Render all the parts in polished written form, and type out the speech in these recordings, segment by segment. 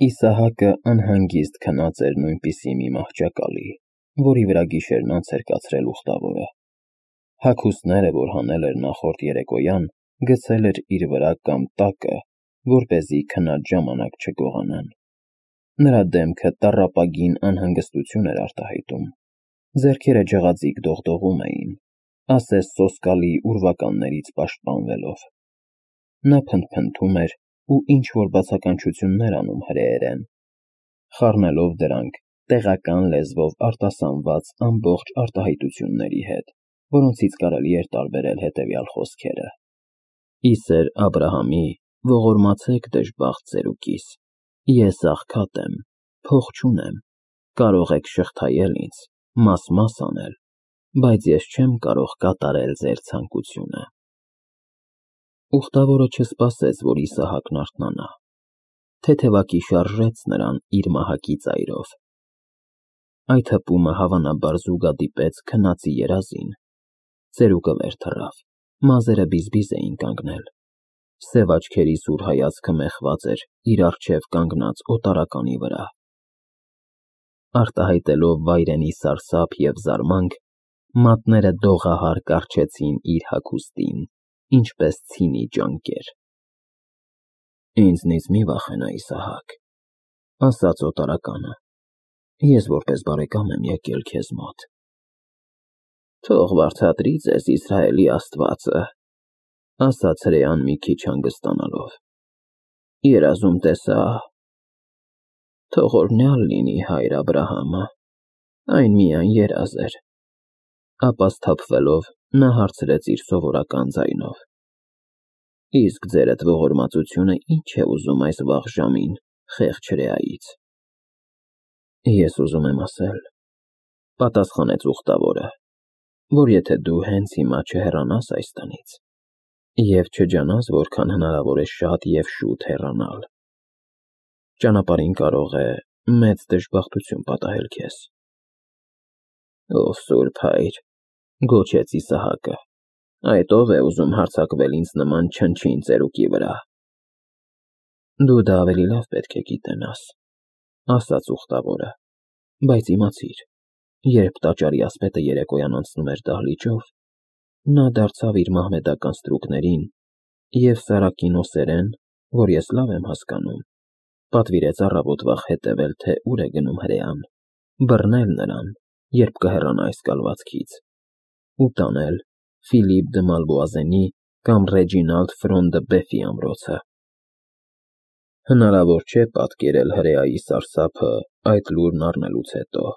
Իսահակը անհանգիստ քնած էր նույնպիսի մի մահճակալի, որի վրա գիշերն անց էր կացրել ուխտավորը։ Հագուստները, որ հանել էր նախորդ երեկոյան, գցել էր իր վրա կամ տակը, որպեսզի քնած ժամանակ չգողանան։ Նրա դեմքը տառապագին անհանգստություն էր արտահայտում, ձեռքերը ջղաձիգ դողդողում էին, ասես սոսկալի ուրվականներից պաշտպանվելով։ Նա փնթփնթում էր ու ինչ-որ բացականչություններ անում հրեերեն, խառնելով դրանք տեղական լեզվով արտասանված ամբողջ արտահայտությունների հետ, որոնցից կարելի էր տարբերել հետևյալ խոսքերը. Իսեր Աբրահամի, ողորմացեք դժբախտ ծերուկիս, ես աղքատ եմ, փող չունեմ, կարող եք շղթայել ինձ, մաս անել, բայց ես չեմ կարող կատարել ձեր ցանկությունը։ Ուխտավորը չսպասեց, որ Իսահակն արթնանա, թեթևակի շարժեց նրան իր մահակի ծայրով։ Այդ հպումը հավանաբար զուգադիպեց քնածի երազին, ծերուկը վեր թռավ, մազերը բիզբիզ էին կանգնել, սև աչքերի սուր հայացքը մեխված էր իր առջև կանգնած օտարականի վրա։ Արտահայտելով վայրենի սարսափ և զարմանք, մատները դողահար կառչեցին իր հագուստին, ինչպես ցինի ճանկեր։ Ինձնից մի վախենա, Իսահակ, ասաց օտարականը, ես որպես բարեկամ եմ եկել քեզ մոտ։ Թող վարձատրի ձեզ Իսրայելի Աստվածը, ասաց հրեան մի քիչ հանգստանալով։ Երազում տեսա, թող օրհնյալ լինի հայր Աբրահամը, այն միայն երազ էր։ Ապա սթափվելով նա հարցրեց իր սովորական ձայնով. Իսկ ձերդ ողորմածությունը ինչ է ուզում այս վաղ ժամին, խեղճ հրեայից։ Ես ուզում եմ ասել, պատասխանեց ուխտավորը, որ եթե դու հենց հիմա չհեռանաս այստանից և չջանաս որքան հնարավոր է շատ և շուտ հեռանալ, ճանապարհին կարող է մեծ դժբախտություն պատահել քեզ։ Ով սուրբ հայր, գոչեց Իսահակը, այդ ով է ուզում հարձակվել ինձ նման չնչին ծերուկի վրա։ Դու դա ավելի լավ պետք է գիտենաս, ասաց ուխտավորը, բայց իմացիր, երբ տաճարի ասպետը երեկոյան անցնում էր դահլիճով, նա դարձավ իր մահմեդական ստրուկներին և սարակինոսերեն, որ ես լավ եմ հասկանում, պատվիրեց առավոտվա հետևել, թե ուր է գնում հրեան, բռնել նրան, երբ կհեռանա այս կալվածքից, ու տանել Ֆիլիպ դը Մալվոազենի կամ Ռեջինալդ Ֆրոն դը Բեֆի ամրոցը։ Հնարավոր չէ պատկերել հրեայի սարսափը այդ լուրն առնելուց հետո։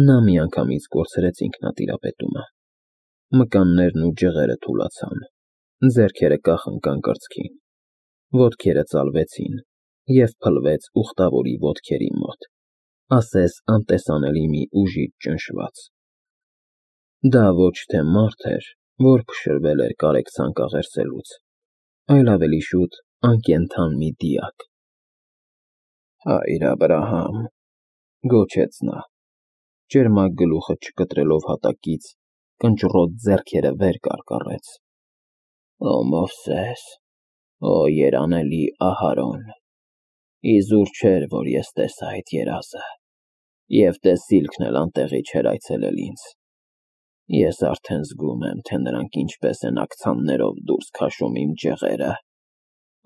Նա միանգամից կորցրեց ինքնատիրապետումը, մկաններն ու ջղերը թուլացան, ձեռքերը կախ ընկան կրծքին, ոտքերը ծալվեցին և փլվեց ուխտավորի ոտքերի մոտ, ասես անտեսանելի մի ուժից ճնշված։ Դա ոչ թե մարդ էր, որ փշրվել էր կարեկցանք աղերսելուց, այլ ավելի շուտ անկենդան մի դիակ։ Հայր Աբրահամ, գոչեց նա, ճերմակ գլուխը չկտրելով հատակից, կնճռոտ ձեռքերը վեր կարկառեց։ Ո Մովսես, ո երանելի Ահարոն, իզուր չէր, որ ես տեսա այդ երազը, և տեսիլքն էլ անտեղի չէր այցելել ինձ։ Ես արդեն զգում եմ, թե նրանք ինչպես են աքցաններով դուրս քաշում իմ ջղերը,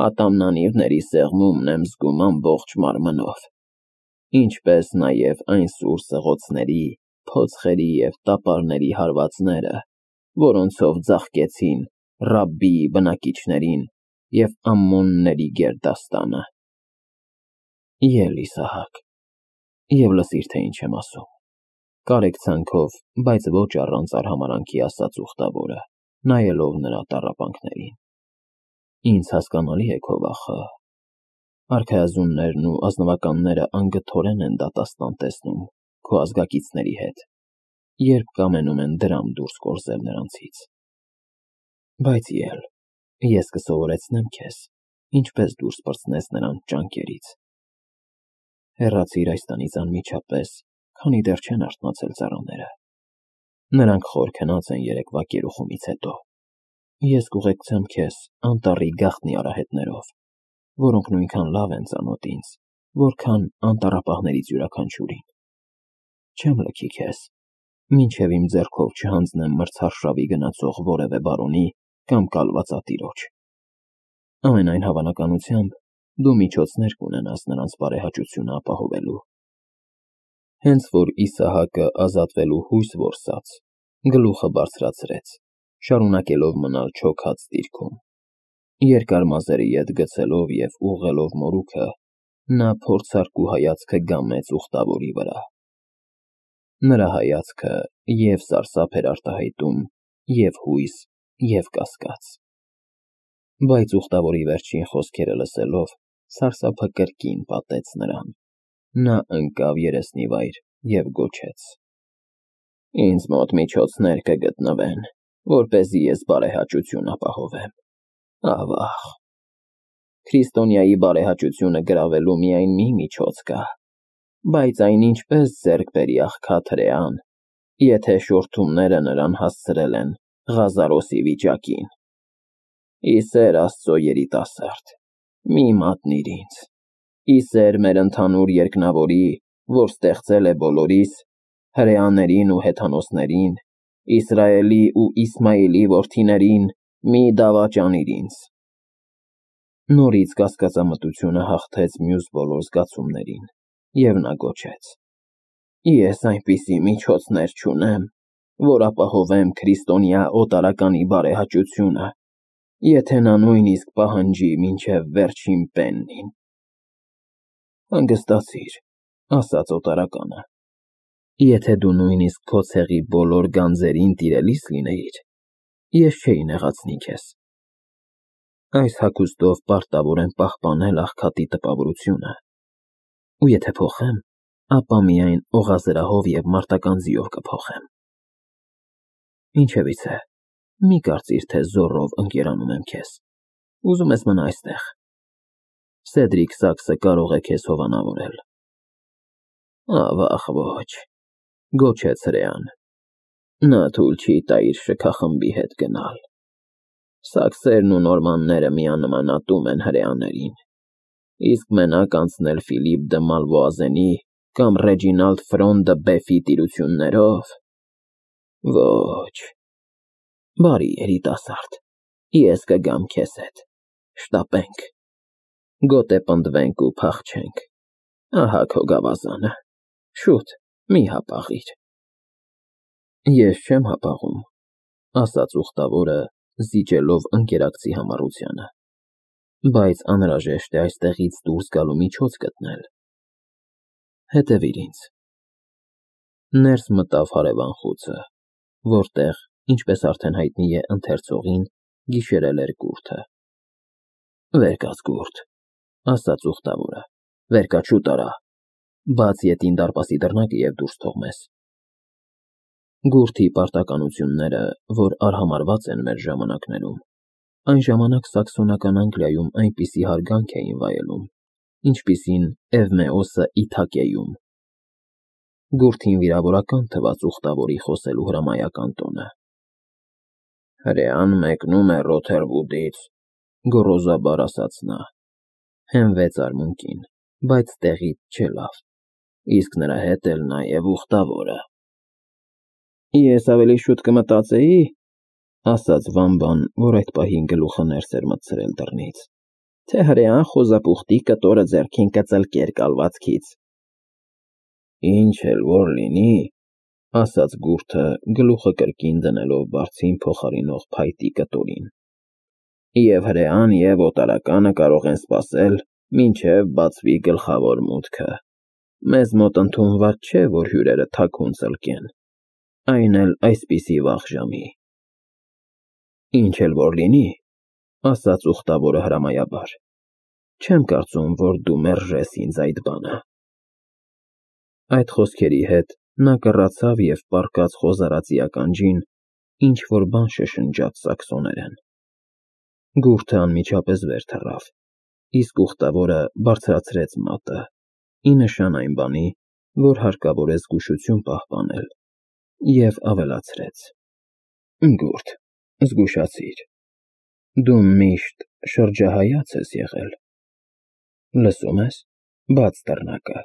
ատամնանիվների սեղմումն եմ զգում ամբողջ մարմնով, ինչպես նաև այն սուր սղոցների, փոցխերի և տապարների հարվածները, որոնցով ծաղկեցին Ռաբբիի բնակիչներին և Ամմոնների գերդաստանը։ Ել Իսահակ, և լսիր, թե ինչ եմ ասում, կարեկցանքով, բայց ոչ առանց արհամարհանքի ասաց ուխտավորը, նայելով նրա տառապանքներին։ Ինձ հասկանալի է քո վախը, արքայազուններն ու ազնվականները անգթորեն են դատաստան տեսնում քո ազգակիցների հետ, երբ կամենում են դրամ դուրս կորզել նրանցից։ Բայց ել, ես կսովորեցնեմ քեզ, ինչպես դուրս պրծնես նրանց ճանկերից։ Հեռացիր այստանից անմիջապես, քանի դեռ չեն արթնացել ծառաները։ Նրանք խոր քնած են երեկվա կերուխումից հետո։ Ես կուղեկցեմ քեզ անտառի գաղտնի արահետներով, որոնք նույնքան լավ են ծանոթ ինձ, որքան անտառապահներից յուրաքանչյուրին։ Չեմ լքի քեզ, մինչև իմ ձեռքով չհանձնեմ մրցարշավի գնացող որևէ բարոնի կամ կալվածատիրոջ։ Ամենայն հավանականությամբ դու միջոցներ կունենաս նրանց բարեհաճությունը ապահովելու։ Հենց որ Իսահակը ազատվելու հույս որսաց, գլուխը բարձրացրեց, շարունակելով մնալ չոքած դիրքում։ Երկար մազերը ետ գցելով և ուղղելով մորուքը, նա փորձարկու հայացքը գամեց ուխտավորի վրա։ Նրա հայացքը և սարսափ էր արտահայտում, և հույս, և կասկած։ Բայց ուխտավորի վերջին խոսքերը լսելով, սարսափը կրկին պատեց նրան։ Նա ընկավ երեսնիվայր և գոչեց. Ինձ մոտ միջոցներ կգտնվեն, որպեսզի ես բարեհաճություն ապահովեմ։ Ավաղ։ Քրիստոնյայի բարեհաճությունը գրավելու միայն մի միջոց կա, բայց այն ինչպես ձեռք բերի աղքատ հրեան, եթե շորթումները նրան հասցրել են Ղազարոսի վիճակին։ Ի սեր Աստծո երիտասարդ, մի մատնիր ինձ, ի սեր մեր ընդհանուր երկնավորի, որ ստեղծել է բոլորիս, հրեաներին ու հեթանոսներին, Իսրայելի ու Իսմայելի որդիներին, մի դավաճանիր ինձ։ Նորից կասկածամտությունը հաղթեց մյուս բոլոր զգացումներին, և նա գոչեց. Ես այնպիսի միջոցներ չունեմ, որ ապահովեմ քրիստոնյա օտարականի բարեհաճությունը, եթե նա նույնիսկ պահանջի մինչև վերջին պեննին։ Հանգստացիր, ասաց օտարականը, եթե դու նույնիսկ քո ցեղի բոլոր գանձերին տիրելիս լինեիր, ես չէի նեղացնի քեզ։ Այս հագուստով պարտավոր եմ պահպանել աղքատի տպավորությունը, ու եթե փոխեմ, ապա միայն օղազրահով և մարտական ձիով կփոխեմ։ Ինչևիցե, մի կարծիր, թե զոռով ընկերանում եմ քեզ, ուզում ես մնա այստեղ։ Սեդրիկ Սաքսը կարող է քեզ հովանավորել։ Ավաղ ոչ, գոչեց հրեան, նա թույլ չի տա իր շքախմբի հետ գնալ։ Սաքսերն ու նորմանները միանմանատում են հրեաներին, իսկ մենակ անցնել Ֆիլիպ դը Մալվոազենի կամ Ռեջինալդ Ֆրոն դը Բեֆի տիրություններով… Ոչ։ Բարի երիտասարդ, ես կգամ քեզ հետ, շտապենք, գոտե պնդվենք ու փախչենք, ահա քո գավազանը, շուտ, մի հապաղիր։ Ես չեմ հապաղում, ասաց ուխտավորը, զիջելով ընկերակցի համառությանը, բայց անհրաժեշտ է այստեղից դուրս գալու միջոց գտնել։ Հետևիր ինձ։ Ներս մտավ հարևան խուցը, որտեղ, ինչպես արդեն հայտնի է ընթերցողին, գիշերել էր գուրդը։ Վեր կաց գուրդ, ասաց ուխտավորը, վեր կաց շուտ արա, բաց ետին դարպասի դռնակը և դուրս թող մեզ։ Գուրդի պարտականությունները, որ արհամարհված են մեր ժամանակներում, այն ժամանակ սաքսոնական Անգլիայում այնպիսի հարգանք էին վայելում, ինչպիսին Էվմեոսը Իթակեում։ Գուրդին վիրավորական թվաց ուխտավորի խոսելու հրամայական տոնը։ Հրեան մեկնում է Ռոթերվուդից, գոռոզաբար ասաց նա, հենվեց արմունկին, բայց տեղից չելավ, իսկ նրա հետ էլ նաև ուխտավորը։ Ես ավելի շուտ կմտածեի, ասաց Վամբան, որ այդ պահին գլուխը ներս էր մտցրել դռնից, թե հրեան խոզապուխտի կտորը ձեռքին կծլկեր կալվածքից։ Ինչ էլ որ լինի, ասաց գուրդը, գլուխը կրկին դնելով բարձին փոխարինող փայտի կտորին, և հրեան և օտարականը կարող են սպասել, մինչև բացվի գլխավոր մուտքը։ Մեզ մոտ ընդունված չէ, որ հյուրերը թաքուն ծլկեն, այն էլ այսպիսի վաղ ժամի։ Ինչ էլ որ լինի, ասաց ուխտավորը հրամայաբար, չեմ կարծում, որ դու մերժես ինձ այդ բանը։ Այդ խոսքերի հետ նա կռացավ և պառկած խոզարածի ականջին ինչ-որ բան շշնջաց սաքսոներեն։ Գուրդը անմիջապես վեր թռավ, իսկ ուխտավորը բարձրացրեց մատը, ի նշան այն բանի, որ հարկավոր է զգուշություն պահպանել, և ավելացրեց. Գուրդ, զգուշացիր, դու միշտ շրջահայաց ես եղել, լսում ես, բաց դռնակը։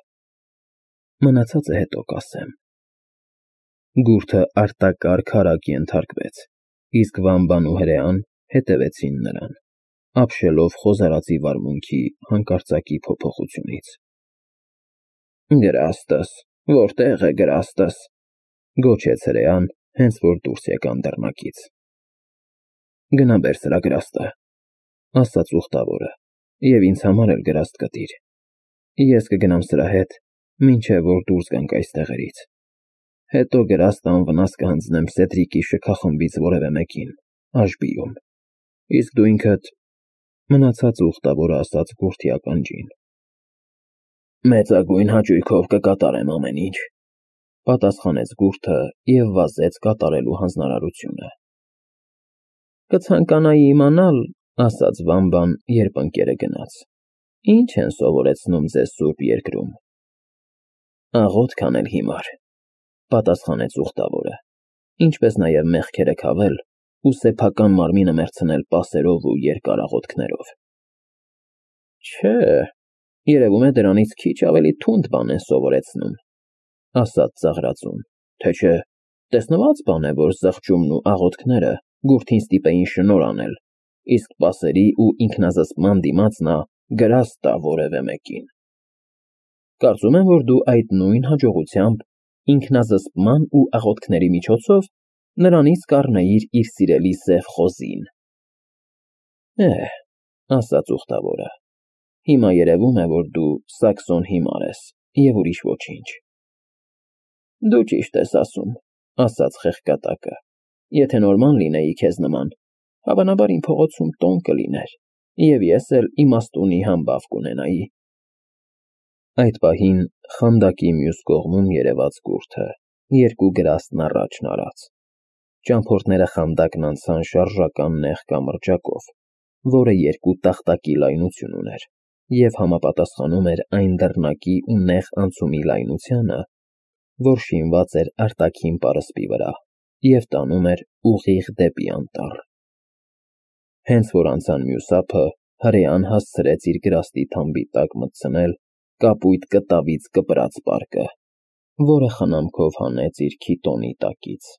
Մնացածը հետո կասեմ։ Գուրթը արտակարգ արագ ենթարկվեց, իսկ Վամբան ու հրեան հետևեցին նրան, ապշելով խոզարածի վարմունքի հանկարծակի փոփոխությունից։ Գրաստս, որտեղ է գրաստս, գոչեց հրեան, հենց որ դուրս եկան դռնակից։ Գնա բեր սրա գրաստը, ասաց ուխտավորը, և ինձ համար էլ գրաստ կտիր։ Ես կգնամ սրա հետ, մինչև որ դուրս գանք այստեղերից։ Հետո գրաստ անվնաս կհանձնեմ Սեդրիկի շքախմբից որևէ մեկին, Աշբիում, իսկ դու ինքդ… Մնացածը ուխտավորը ասաց Գուրթի ականջին։ Մեծագույն հաճույքով կկատարեմ ամեն ինչ, պատասխանեց Գուրթը և վազեց կատարելու հանձնարարությունը։ Կցանկանայի իմանալ, ասաց Վամբան, երբ ընկերը գնաց, ինչ են սովորեցնում ձեզ Սուրբ Երկրում։ Աղոթք անել հիմար, պատասխանեց ուխտավորը, ինչպես նաև մեղքերը քավել ու սեփական մարմինը մեռցնել պասերով ու երկար աղոթքներով։ Չէ, երևում է դրանից քիչ ավելի թունդ բան են սովորեցնում, ասաց ծաղրածուն, թե չէ, տեսնված բան է, որ զղջումն ու աղոթքները Գուրթին ստիպեին շնորհ անել, իսկ պասերի ու ինքնազսպման դիմաց նա գրաստ տա որևէ մեկին։ Կարծում եմ, որ դու այդ նույն հաջողությամբ ինքնազսպման ու աղոթքների միջոցով նրանից կառնեիր իր սիրելի սև խոզին։ Ասաց ուխտավորը, հիմա երևում է, որ դու սաքսոն հիմար ես և ուրիշ ոչինչ։ Դու ճիշտ ես ասում, ասաց խեղկատակը, եթե նորմալ լինեի քեզ նման, հավանաբար իմ փողոցում տոն կլիներ, և ես էլ իմաստունի համբավ կունենայի։ Այդ պահին խանդակի մյուս կողմում երևաց Գուրթը, երկու գրաստն առաջն արած։ Ճամփորդները խանդակն անցան շարժական նեղ կամրջակով, որը երկու տախտակի լայնություն ուներ, և համապատասխանում էր այն դռնակի ու նեղ անցումի լայնությանը, որ շինված էր արտաքին պարսպի վրա և տանում էր ուղիղ դեպի անտառ։ Հենց որ անցան մյուս ափը, հրեան հասցրեց իր գրաստի թամբի տակ մտցնել կապույտ կտավից կպրած պարկը, որը խնամքով հանեց իր քիտոնի տակից,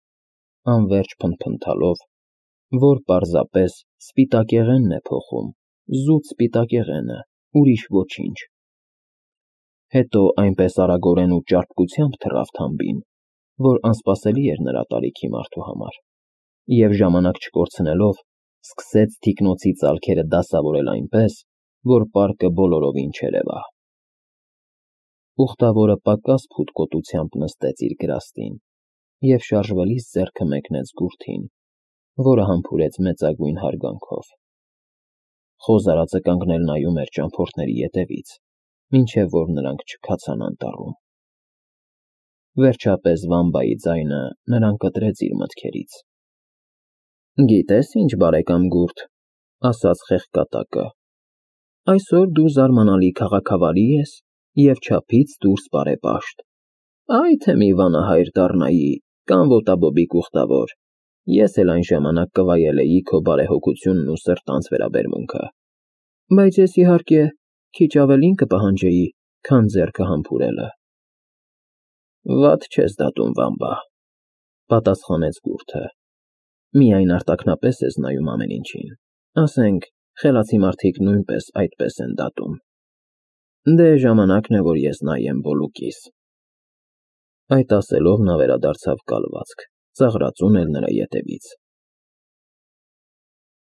անվերջ փնթփնթալով, որ պարզապես սպիտակեղենն է փոխում, զուտ սպիտակեղենը, ուրիշ ոչինչ։ Հետո այնպես արագորեն ու ճարպկությամբ թռավ թամբին, որ անսպասելի էր նրա տարիքի մարդու համար, և ժամանակ չկորցնելով, սկսեց թիկնոցի ծալքերը դասավորել այնպես, որ պարկը բոլորովին չերևա։ Ուխտավորը պակաս փութկոտությամբ նստեց իր գրաստին և շարժվելիս ձեռքը մեկնեց Գուրթին, որը համբուրեց մեծագույն հարգանքով։ Խոզարածը կանգնել նայում էր ճամփորդների ետևից, մինչև որ նրանք չքացան անտառում։ Վերջապես Վամբայի ձայնը նրան կտրեց իր մտքերից։ Գիտես ինչ, բարեկամ Գուրթ, ասաց խեղկատակը, այսօր դու զարմանալի քաղաքավարի ես և չափից դուրս բարեպաշտ։ Այ թե մի վանահայր դառնայի կամ ոտաբոբիկ ուխտավոր, ես էլ այն ժամանակ կվայելեի քո բարեհոգությունն ու սրտանց վերաբերմունքը, բայց ես իհարկե քիչ ավելին կպահանջեի, քան ձեռքը համբուրելը։ Վատ չես դատում, Վամբա, պատասխանեց Գուրթը, միայն արտաքնապես ես նայում ամեն ինչին, ասենք, խելացի մարդիկ նույնպես այդպես են դատում։ Դե ժամանակն է, որ ես նայեմ բոլուկիս։ Այդ ասելով նա վերադարձավ կալվածք, ծաղրածուն էլ նրա ետևից։